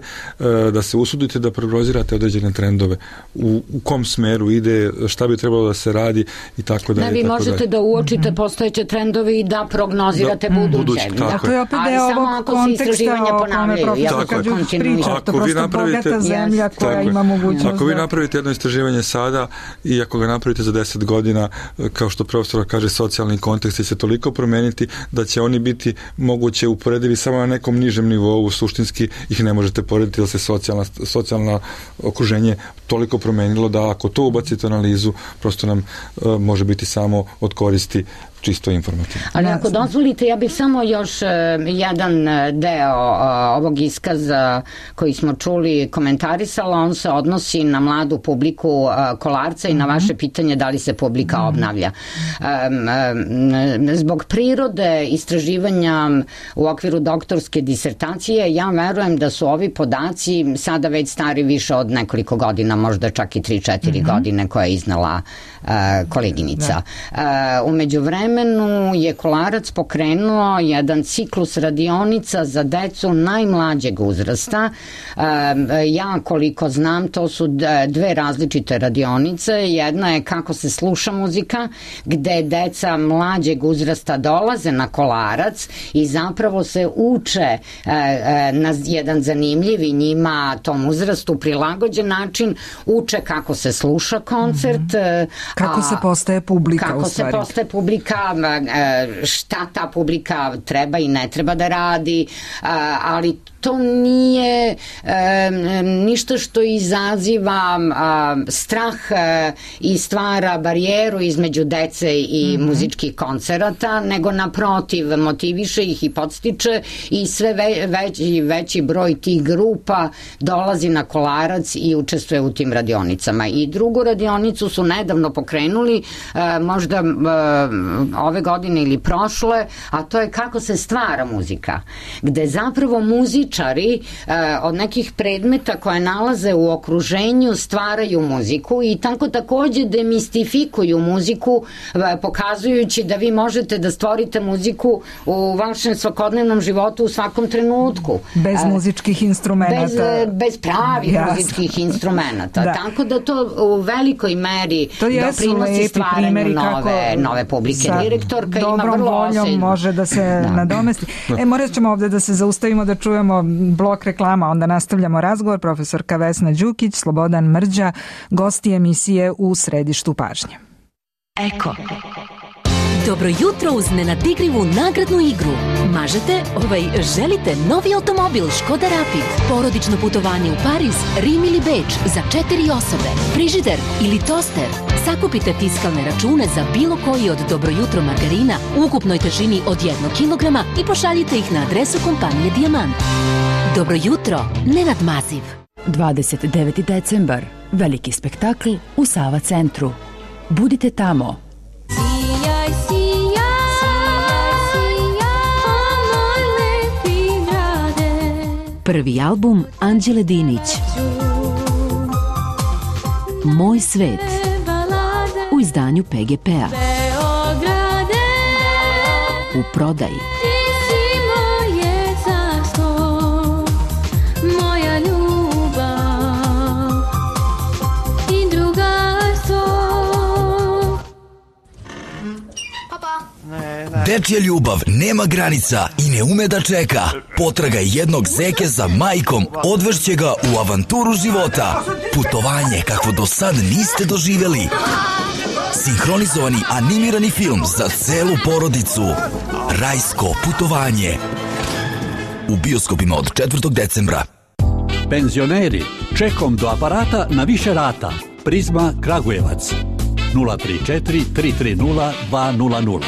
S3: da se usudite da prognozirate određene trendove. U, u kom smeru ide, šta bi trebalo da se radi i tako dalje.
S2: Da, vi možete dalje. da uočite mm-hmm. postojeće trendove i da prognozirate da, buduće. buduće
S1: da, to je opet deo ovog konteksta o kome profesor Hadžibulić priča. To je prosto bogata zemlja koja
S3: tako
S1: ima mogućnost.
S3: Ako vi napravite jedno istraživanje sada i ako ga napravite za deset godina, kao što profesor kaže, socijalni kontekst će se toliko promeniti da će oni biti moguće uporedivi samo na nekom nižem nivou, suštinski ih ne možete porediti jer se socijalna, socijalna okruženje toliko promenilo da ako to ubacite u analizu, prosto nam uh, može biti samo od koristi čisto informativno.
S2: Ali ako dozvolite, ja bih samo još uh, jedan deo uh, ovog iskaza koji smo čuli komentarisala, on se odnosi na mladu publiku uh, Kolarca i na vaše pitanje da li se publika mm-hmm. obnavlja. Um, um, zbog prirode istraživanja u okviru doktorske disertacije, ja verujem da su ovi podaci sada već stari više od nekoliko godina, možda čak i tri četiri mm-hmm. godine koje je iznala uh, koleginica. Da. Uh, umeđu vremenu je Kolarac pokrenuo jedan ciklus radionica za decu najmlađeg uzrasta. Ja koliko znam, to su dve različite radionice. Jedna je kako se sluša muzika, gde deca mlađeg uzrasta dolaze na Kolarac i zapravo se uče na jedan zanimljiv i njima tom uzrastu prilagođen način, uče kako se sluša koncert. Mm-hmm.
S1: Kako a, se postaje publika
S2: kako
S1: u stvari.
S2: Kako se postaje publika, šta ta publika treba i ne treba da radi, ali to nije ništa što izaziva strah i stvara barijeru između dece i mm-hmm. muzičkih koncerata, nego naprotiv motiviše ih i podstiče i sve veći, veći broj tih grupa dolazi na Kolarac i učestvuje u tim radionicama. I drugu radionicu su nedavno pokrenuli, možda ove godine ili prošle, a to je kako se stvara muzika, gde zapravo muzičari od nekih predmeta koje nalaze u okruženju stvaraju muziku i tako takođe demistifikuju muziku, pokazujući da vi možete da stvorite muziku u vašem svakodnevnom životu u svakom trenutku.
S1: Bez muzičkih instrumenta.
S2: Bez, bez pravih Jasne. muzičkih instrumenta. Da. Tako da to u velikoj meri doprinosi stvaranju nove, nove publike. Direktorka ima vrlo voljom osjećaj.
S1: Može da se da. nadomesti. E, morat ćemo ovde da se zaustavimo da čujemo blok reklama, onda nastavljamo razgovor. Profesorka Vesna Đukić, Slobodan Mrđa, gosti emisije U središtu pažnje.
S5: Eko. Dobro jutro uz nenadigrivu nagradnu igru. Mažete, ovaj, želite novi automobil Škoda Rapid, porodično putovanje u Pariz, Rim ili Beč za četiri osobe, frižider ili toster. Sakupite fiskalne račune za bilo koji od Dobro jutro margarina u ukupnoj težini od jednog kilograma i pošaljite ih na adresu kompanije Dijamant. Dobro jutro, Nenad Maziv.
S6: dvadeset deveti decembar. Veliki spektakl u Sava centru. Budite tamo. Prvi album Anđele Dinić. Moj svet. U izdanju P G P-a. U prodaji.
S7: Dečja ljubav nema granica i ne ume da čeka. Potraga jednog zeke za majkom odvešće ga u avanturu života. Putovanje kakvo do sad niste doživjeli. Sinhronizovani animirani film za celu porodicu. Rajsko putovanje. U bioskopima od četvrtog decembra.
S8: Penzioneri, čekom do aparata na više rata. Prizma Kragujevac. nula tri četiri tri tri nula dva nula nula.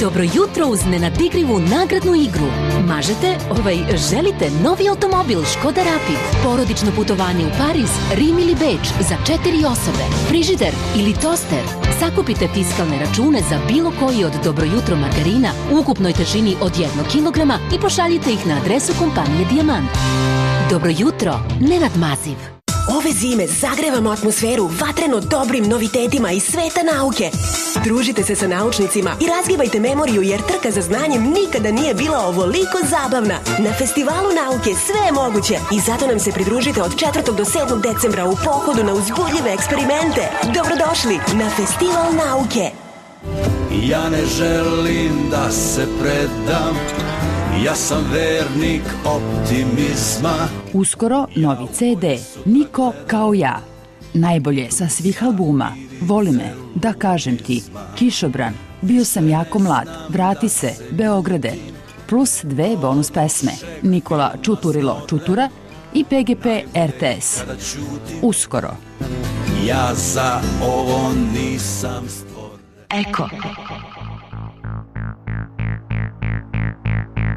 S5: Dobro jutro uz nenadigrivu nagradnu igru. Mažete, ovaj, želite novi automobil Škoda Rapid, porodično putovanje u Pariz, Rim ili Beč za četiri osobe, frižider ili toster. Sakupite fiskalne račune za bilo koji od Dobro jutro margarina u ukupnoj težini od jednog kilograma i pošaljite ih na adresu kompanije Dijamant. Dobro jutro, Nenad Maziv.
S9: Ove zime zagrevamo atmosferu vatreno dobrim novitetima iz sveta nauke. Družite se sa naučnicima i razgibajte memoriju jer trka za znanjem nikada nije bila ovoliko zabavna. Na Festivalu nauke sve je moguće i zato nam se pridružite od četvrtog do sedmog decembra u pohodu na uzbudljive eksperimente. Dobrodošli na Festival nauke.
S10: Ja ne želim da se predam, ja sam vernik optimizma.
S6: Uskoro novi ce de Niko kao ja. Najbolje sa svih albuma. Voli me, da kažem ti, Kišobran, Bio sam jako mlad, Vrati se, Beograde, plus dve bonus pesme, Nikola Čuturilo Čutura i P G P R T S. Uskoro.
S10: Ja za ovo nisam stvoren.
S5: Eko.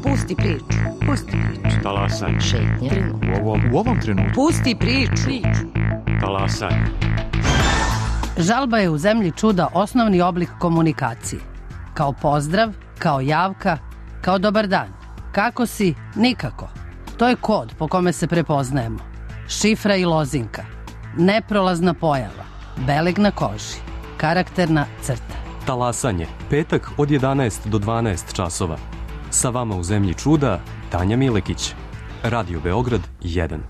S11: Pusti priču. Pusti priču.
S12: Talasanje.
S11: Šetnja.
S12: U ovom, u ovom trenutku.
S11: Pusti priču.
S12: Talasanje.
S11: Žalba je u zemlji čuda osnovni oblik komunikacije. Kao pozdrav, kao javka, kao dobar dan. Kako si? Nikako. To je kod po kome se prepoznajemo. Šifra i lozinka. Neprolazna pojava. Beleg na koži. Karakterna crta.
S12: Talasanje. Petak od jedanaest do dvanaest časova. Sa vama u zemlji čuda, Tanja Milekić. Radio Beograd jedan.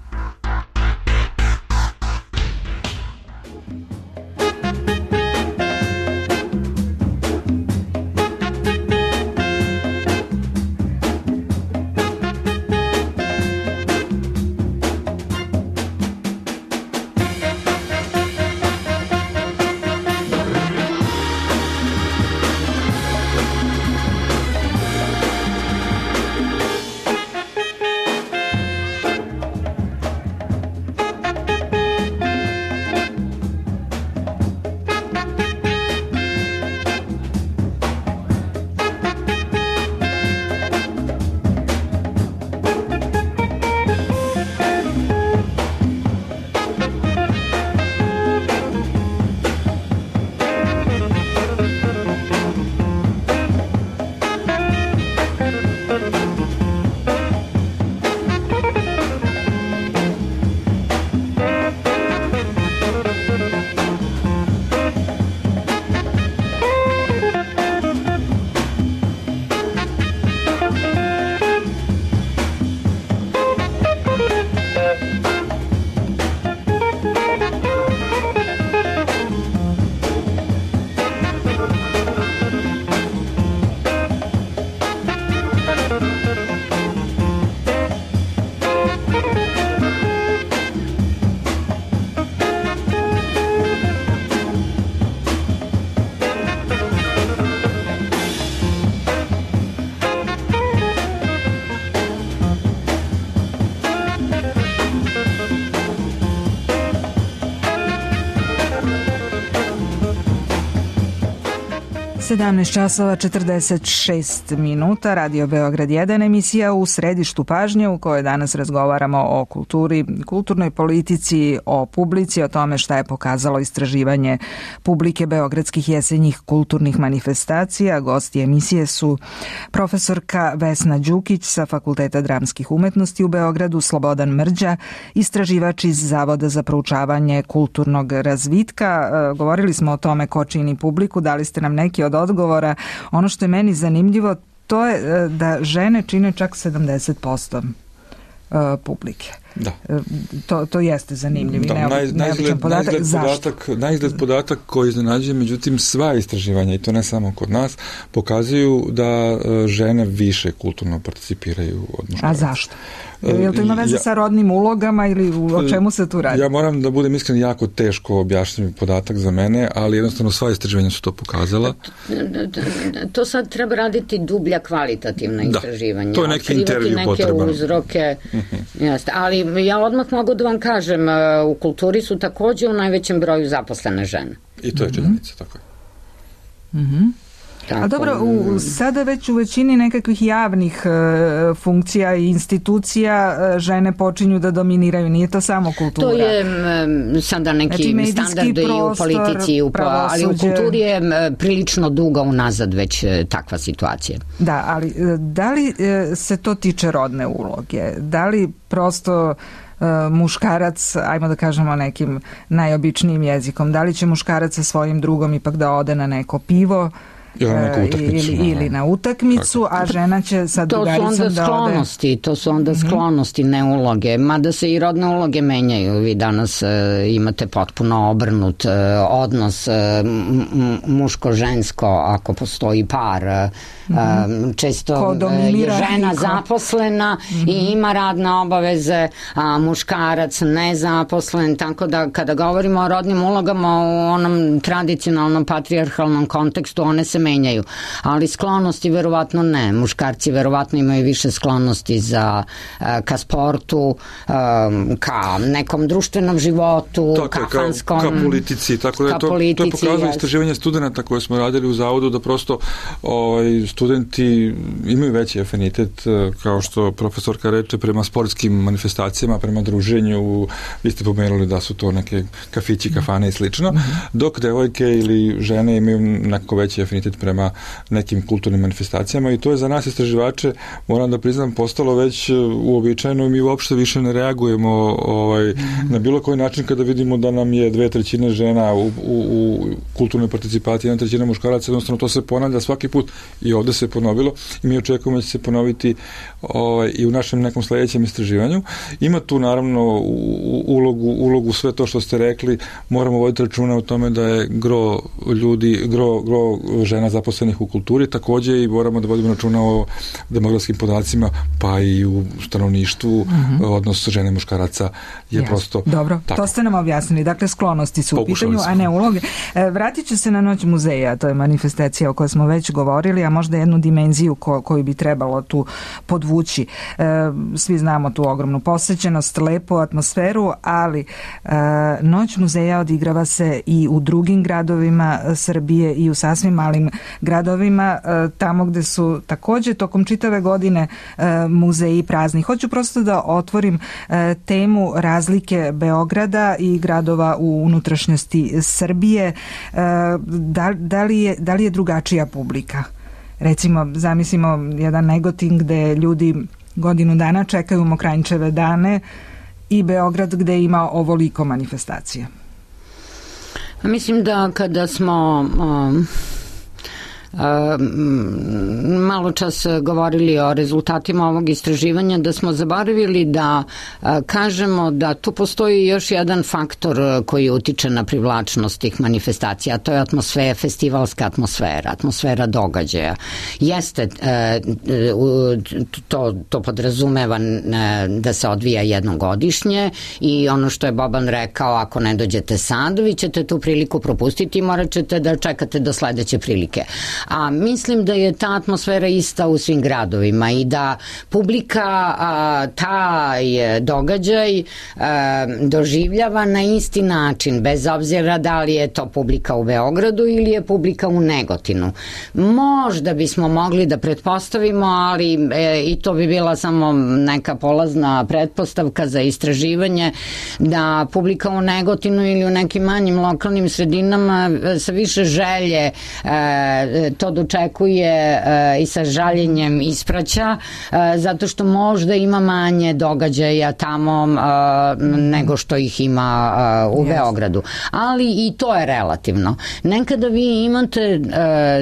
S1: sedamnaest časova četrdeset šest minuta, Radio Beograd jedan, emisija u središtu pažnje u kojoj danas razgovaramo o kulturi, kulturnoj politici, o publici, o tome šta je pokazalo istraživanje publike beogradskih jesenjih kulturnih manifestacija. Gosti emisije su profesorka Vesna Đukić sa Fakulteta dramskih umetnosti u Beogradu, Slobodan Mrđa, istraživač iz Zavoda za proučavanje kulturnog razvitka. Govorili smo o tome ko čini publiku, dali ste nam neki od odgovora. Ono što je meni zanimljivo, to je da žene čine čak sedamdeset posto publike.
S3: Da.
S1: To, to jeste zanimljiv i
S3: da,
S1: neobičan neobičan podatak.
S3: Najizgled
S1: Zašto?
S3: podatak, najizgled podatak koji iznenađuje, međutim sva istraživanja, i to ne samo kod nas, pokazuju da žene više kulturno participiraju od muškaraca.
S1: A zašto? Je li to ima veze ja, sa rodnim ulogama ili o čemu se tu radi?
S3: Ja moram da budem iskren, jako teško objašnjiv podatak za mene, ali jednostavno sva istraživanja su to pokazala.
S2: To sad treba raditi dublja kvalitativna istraživanja.
S3: Da, to je neki intervju potreban.
S2: Neke uzroke, uh-huh. Jeste, ali ja odmah mogu da vam kažem, u kulturi su takođe u najvećem broju zaposlene žene.
S3: I to je činjenica, tako je.
S1: Mhm. A dobro, u, sada već u većini nekakvih javnih e, funkcija i institucija e, žene počinju da dominiraju, nije to samo kultura.
S2: To je m, sada neki znači, standard prostor, i u politici, i u, ali u kulturi je m, prilično duga unazad već e, takva situacija.
S1: Da, ali e, da li e, se to tiče rodne uloge? Da li prosto e, muškarac, ajmo da kažemo nekim najobičnijim jezikom, da li će muškarac sa svojim drugom ipak da ode na neko pivo, ili, ili na utakmicu, a žena će sa drugaricom da ode.
S2: To su onda sklonosti, to su onda sklonosti, ne uloge, mada se i rodne uloge menjaju. Vi danas uh, imate potpuno obrnut uh, odnos uh, muško-žensko, ako postoji par. Uh, često je žena zaposlena mm-hmm. i ima radne obaveze, a muškarac nezaposlen, tako da kada govorimo o rodnim ulogama u onom tradicionalnom patrijarhalnom kontekstu, one se menjaju, ali sklonosti verovatno ne. Muškarci verovatno imaju više sklonosti za, ka sportu, ka nekom društvenom životu,
S3: tako,
S2: ka fanskom,
S3: ka, ka politici, tako da je to, politici, to je pokazalo yes. istraživanje studenta koje smo radili u Zavodu, da prosto ovaj, studenti imaju veći afinitet, kao što profesorka reče, prema sportskim manifestacijama, prema druženju. Vi ste pomenuli da su to neke kafići, kafane i slično, dok devojke ili žene imaju neko veći afinitet prema nekim kulturnim manifestacijama, i to je za nas istraživače, moram da priznam, postalo već uobičajeno i mi uopšte više ne reagujemo ovaj, na bilo koji način kada vidimo da nam je dve trećine žena u, u, u kulturnoj participaciji, jedna trećina muškaraca, jednostavno to se ponavlja svaki put i ovde se ponovilo i mi očekujemo da će se ponoviti ovaj, i u našem nekom sledećem istraživanju. Ima tu naravno ulogu, ulogu sve to što ste rekli, moramo voditi računa o tome da je gro ljudi, gro, gro žena zaposlenih u kulturi, takođe i moramo da vodimo računa o demografskim podacima, pa i u stanovništvu, mm-hmm. odnos žene i muškaraca je Jasne. prosto
S1: Dobro,
S3: tako.
S1: To ste nam objasnili. Dakle, sklonosti su Pokušali u pitanju, smo. a ne uloge. E, vratit ću se na Noć muzeja, to je manifestacija o kojoj smo već govorili, a možda jednu dimenziju ko, koju bi trebalo tu podvući. E, svi znamo tu ogromnu posećenost, lepu atmosferu, ali e, Noć muzeja odigrava se i u drugim gradovima Srbije i u sasvim malim gradovima, tamo gde su takođe tokom čitave godine muzeji prazni. Hoću prosto da otvorim temu razlike Beograda i gradova u unutrašnjosti Srbije. Da, da, li je, da li je drugačija publika? Recimo, zamislimo jedan Negotin gde ljudi godinu dana čekaju Mokranjčeve dane i Beograd gde ima ovoliko manifestacija.
S2: Mislim da kada smo um, um, malo čas govorili o rezultatima ovog istraživanja, da smo zaboravili da uh, kažemo da tu postoji još jedan faktor koji utiče na privlačnost tih manifestacija, a to je atmosfera, festivalska atmosfera, atmosfera događaja. Jeste, uh, to, to podrazumeva da se odvija jednogodišnje i ono što je Boban rekao, ako ne dođete sad, vi ćete tu priliku propustiti i morat ćete da čekate do sledeće prilike. A mislim da je ta atmosfera ista u svim gradovima i da publika a, taj događaj a, doživljava na isti način, bez obzira da li je to publika u Beogradu ili je publika u Negotinu. Možda bismo mogli da pretpostavimo, ali e, i to bi bila samo neka polazna pretpostavka za istraživanje, da publika u Negotinu ili u nekim manjim lokalnim sredinama sa više želje e, to dočekuje e, i sa žaljenjem ispraća, e, zato što možda ima manje događaja tamo e, nego što ih ima e, u yes. Beogradu. Ali i to je relativno. Nekada vi imate e,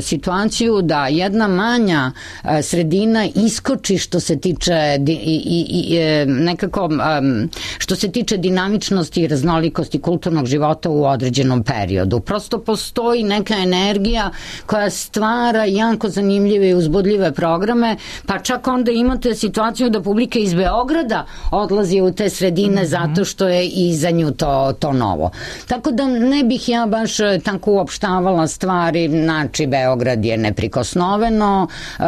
S2: situaciju da jedna manja e, sredina iskoči što se tiče di, i, i, i, nekako e, što se tiče dinamičnosti i raznolikosti kulturnog života u određenom periodu. Prosto postoji neka energija koja stvara jako zanimljive i uzbudljive programe, pa čak onda imate situaciju da publika iz Beograda odlazi u te sredine mm-hmm. zato što je i za nju to, to novo. Tako da ne bih ja baš tako uopštavala stvari, znači Beograd je neprikosnoveno, e, e,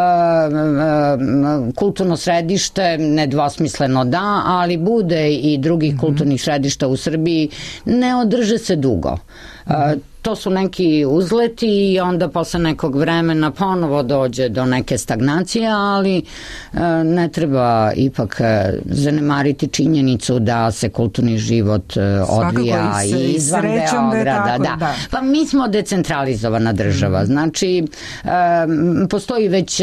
S2: kulturno središte nedvosmisleno da, ali bude i drugih mm-hmm. kulturnih središta u Srbiji, ne održe se dugo. Mm-hmm. E, to su neki uzleti i onda posle nekog vremena ponovo dođe do neke stagnacije, ali e, ne treba ipak zanemariti činjenicu da se kulturni život e, odvija i, i izvan Beograda. Tako, da. Da. Pa mi smo decentralizovana država, znači e, postoji već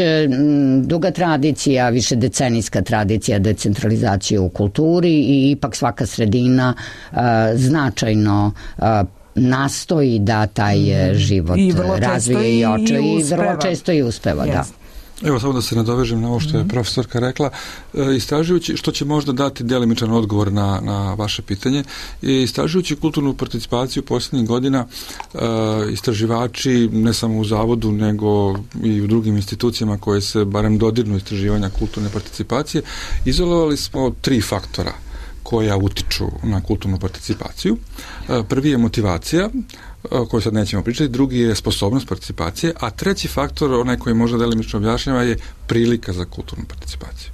S2: duga tradicija, više decenijska tradicija decentralizacije u kulturi i ipak svaka sredina e, značajno e, nastoji da taj život I razvije i oče i, i vrlo često i uspeva. Yes. Da.
S3: Evo samo da se nadovežem na ovo što je profesorka rekla, istražujući, što će možda dati delimičan odgovor na, na vaše pitanje, istražujući kulturnu participaciju posljednjih godina, istraživači ne samo u zavodu nego i u drugim institucijama koje se barem dodirnu istraživanja kulturne participacije, izolovali smo tri faktora koja utiču na kulturnu participaciju. Prvi je motivacija, o kojoj sad nećemo pričati, drugi je sposobnost participacije, a treći faktor, onaj koji možda delimično objašnjava, je prilika za kulturnu participaciju.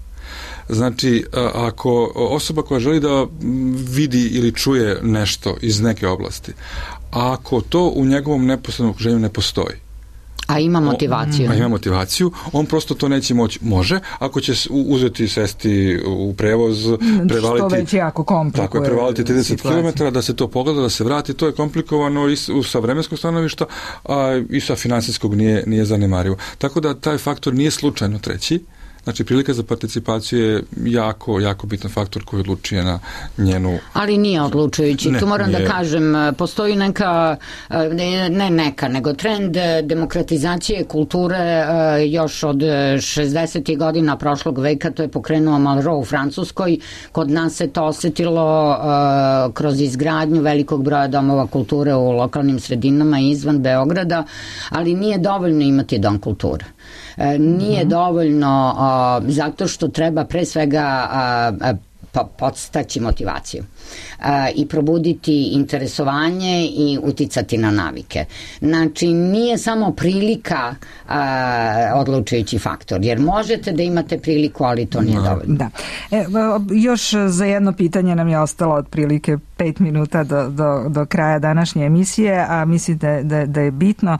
S3: Znači, ako osoba koja želi da vidi ili čuje nešto iz neke oblasti, a ako to u njegovom neposrednom okruženju ne postoji,
S2: a ima motivaciju.
S3: A ima motivaciju, on prosto to neće moći. Može, ako će uzeti, sesti u prevoz, prevaliti...
S1: Što već jako komplikuje.
S3: Tako je, prevaliti trideset kilometara, da se to pogleda, da se vrati, to je komplikovano i sa vremenskog stanovišta, a i sa finansijskog nije, nije zanemarivo. Tako da taj faktor nije slučajno treći. Znači, prilika za participaciju je jako, jako bitan faktor koji odlučuje na njenu...
S2: Ali nije odlučujući. Ne, tu moram nije. da kažem, postoji neka, ne, ne neka, nego trend demokratizacije kulture još od šezdesetih godina prošlog veka, to je pokrenuo Malraux u Francuskoj. Kod nas se to osetilo kroz izgradnju velikog broja domova kulture u lokalnim sredinama i izvan Beograda, ali nije dovoljno imati dom kulture. Nije mm-hmm. dovoljno a, zato što treba pre svega a, a, podstaći motivaciju a, i probuditi interesovanje i uticati na navike. Znači, nije samo prilika a, odlučujući faktor, jer možete da imate priliku, ali to nije dovoljno.
S1: Da. E, još za jedno pitanje nam je ostalo otprilike pet minuta do, do, do kraja današnje emisije, a mislim da, da, da je bitno.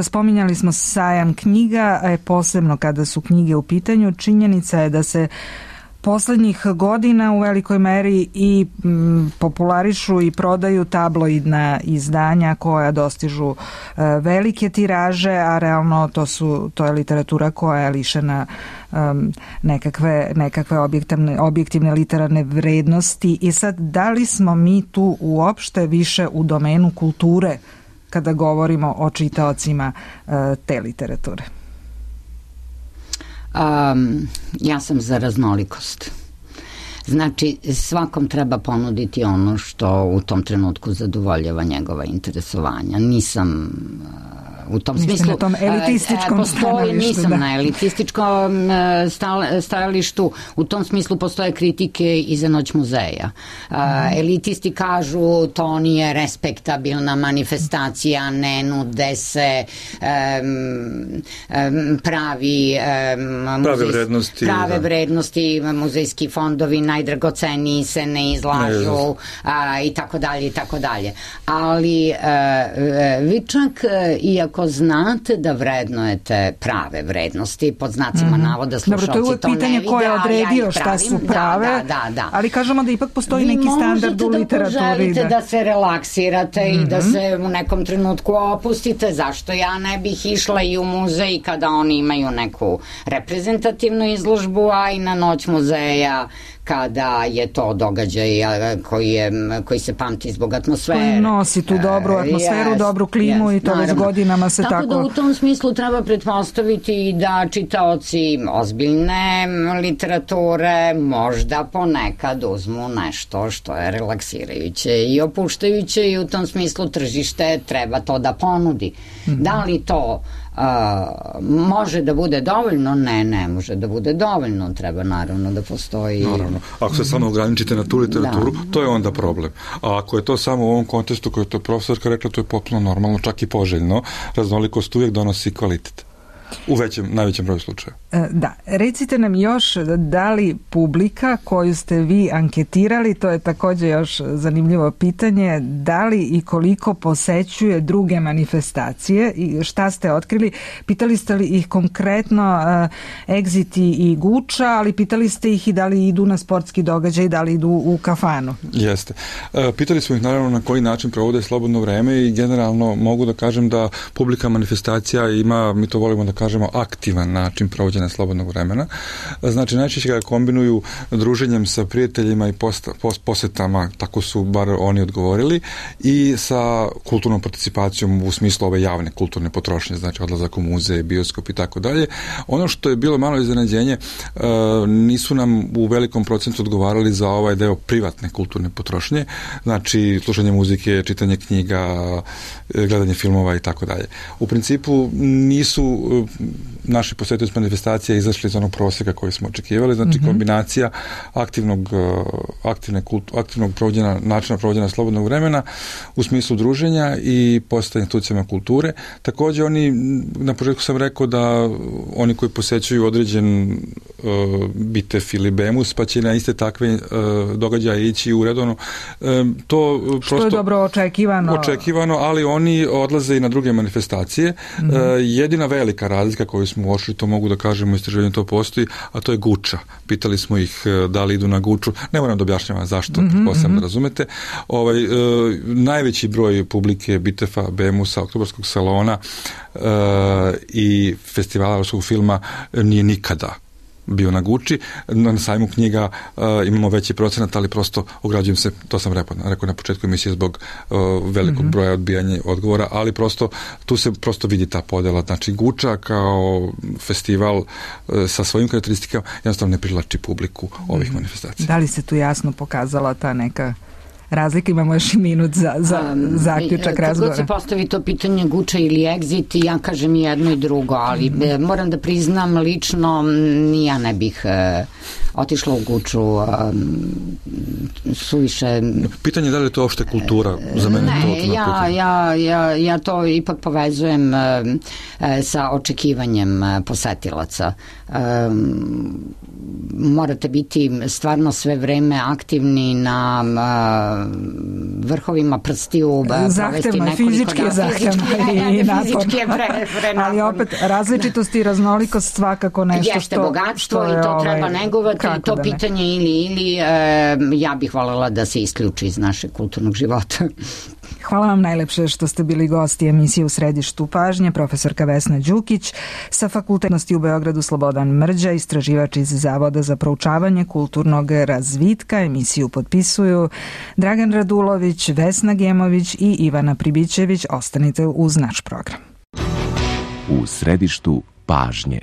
S1: Spominjali smo sajam knjiga, a posebno kada su knjige u pitanju. Činjenica je da se poslednjih godina u velikoj meri i m, popularišu i prodaju tabloidna izdanja koja dostižu e, velike tiraže, a realno to su to je literatura koja je lišena um, nekakve, nekakve objektivne, objektivne literarne vrednosti. I sad, da li smo mi tu uopšte više u domenu kulture kada govorimo o čitaocima e, te literature?
S2: Um, ja sam za raznolikost. Znači, svakom treba ponuditi ono što u tom trenutku zadovoljava njegova interesovanja. Nisam u tom
S1: Niste
S2: smislu
S1: na tom elitističkom
S2: postoji,
S1: stanovištu,
S2: nisam
S1: da.
S2: na elitističkom stajalištu, u tom smislu postoje kritike i za Noć muzeja. Mm. Elitisti kažu to nije respektabilna manifestacija, ne nude se um, um, pravi um,
S3: prave vrednosti,
S2: prave
S3: da.
S2: vrednosti, muzejski fondovi najdragoceniji se ne izlažu
S3: ne,
S2: a, i tako dalje i tako dalje. Ali a, vi čak iako znate da vrednujete prave vrednosti, pod znacima mm-hmm. navoda slušalci to ne vide.
S1: Dobro, to je uvek pitanje ko je odredio ja šta su prave,
S2: da, da, da.
S1: ali kažemo da ipak postoji vi neki standard u literaturi.
S2: Vi možete da da se relaksirate mm-hmm. i da se u nekom trenutku opustite. Zašto ja ne bih išla i u muzej kada oni imaju neku reprezentativnu izložbu, a i na Noć muzeja kada je to događaj koji, je, koji se pamti zbog atmosfere.
S1: Koji nosi tu dobru atmosferu, yes, dobru klimu yes, i to već godinama se tako...
S2: Tako da u tom smislu treba pretpostaviti da čitaoci ozbiljne literature možda ponekad uzmu nešto što je relaksirajuće i opuštajuće i u tom smislu tržište treba to da ponudi. Mm-hmm. Da li to Uh, može da bude dovoljno? Ne, ne može da bude dovoljno. Treba naravno da postoji...
S3: Naravno. Ako se samo ograničite na tu literaturu, da. To je onda problem. A ako je to samo u ovom kontekstu koji je to profesorka rekla, to je potpuno normalno, čak i poželjno. Raznolikost uvijek donosi kvalitet. U većem, najvećem broju slučaja.
S1: Da, recite nam još da li publika koju ste vi anketirali, to je također još zanimljivo pitanje, da li i koliko posećuje druge manifestacije i šta ste otkrili? Pitali ste li ih konkretno uh, Exit i Guča, ali pitali ste ih i da li idu na sportski događaj, da li idu u kafanu?
S3: Jeste. Uh, pitali smo ih naravno na koji način provode slobodno vreme i generalno mogu da kažem da publika manifestacija ima, mi to volimo da kažemo, aktivan način provođenja slobodnog vremena. Znači, najčešće ga kombinuju druženjem sa prijateljima i posta, post, posetama, tako su bar oni odgovorili, i sa kulturnom participacijom u smislu ove javne kulturne potrošnje, znači odlazak u muzej, bioskop i tako dalje. Ono što je bilo malo iznenađenje, nisu nam u velikom procentu odgovarali za ovaj deo privatne kulturne potrošnje, znači slušanje muzike, čitanje knjiga, gledanje filmova i tako dalje. U principu nisu naši posjetioci manifestacije izašli iz onog prosjeka koji smo očekivali, znači mm-hmm. kombinacija aktivnog, aktivne kultu, aktivnog provođenja, načina provođenja slobodnog vremena u smislu druženja i postojanja institucijama kulture. Također oni, na početku sam rekao da oni koji posjećuju određen uh, Bitef ili Bemus, pa će na iste takve uh, događaje ići u redovno. Uh, to
S1: što
S3: prosto,
S1: je dobro očekivano.
S3: Očekivano, ali oni odlaze i na druge manifestacije. Mm-hmm. Uh, jedina velika razlika koju smo uočili, to mogu da kažemo, istraživanju to postoji, a to je Guča. Pitali smo ih da li idu na Guču. Ne moram da objašnjavam zašto, mm-hmm, posebno mm-hmm. da razumete. Ovaj, e, najveći broj publike Bitefa, Bemusa, Oktobarskog salona e, i festivala evropskog filma nije nikada bio na Guči. Na sajmu knjiga uh, imamo veći procenat, ali prosto ograđujem se, to sam rekao, rekao na početku emisije zbog uh, velikog mm-hmm. broja odbijanja odgovora, ali prosto tu se prosto vidi ta podela. Znači Guča kao festival uh, sa svojim karakteristikama jednostavno ne privlači publiku ovih mm-hmm. manifestacija.
S1: Da li se tu jasno pokazala ta neka razlika? Imamo još i minut za, za um, zaključak razgovora.
S2: Kad se postavi to pitanje Guča ili Exit, ja kažem jedno i drugo, ali mm. moram da priznam lično, ja ne bih uh, otišla u Guču um, suviše...
S3: Pitanje je da li je to opšte kultura? Za mene
S2: ne,
S3: to
S2: ja, ja, ja, ja to ipak povezujem uh, sa očekivanjem uh, posetilaca. Um, morate biti stvarno sve vreme aktivni na uh, vrhovima prstiju.
S1: Zahtevno je, fizički je zahtevno i naporno. Ali opet različitost i raznolikost svakako nešto
S2: jeste
S1: što...
S2: bogatstvo
S1: što
S2: i to
S1: ovaj,
S2: treba negovati i to pitanje ili ili e, ja bih voljela da se isključi iz našeg kulturnog života.
S1: Hvala vam najlepše što ste bili gosti emisije U središtu pažnje, profesorka Vesna Đukić sa Fakultetnosti u Beogradu, Slobodan Mrđa, istraživač iz Zavoda za proučavanje kulturnog razvitka. Emisiju potpisuju Dragan Radulović, Vesna Gemović i Ivana Pribićević. Ostanite uz naš program.
S13: U središtu pažnje.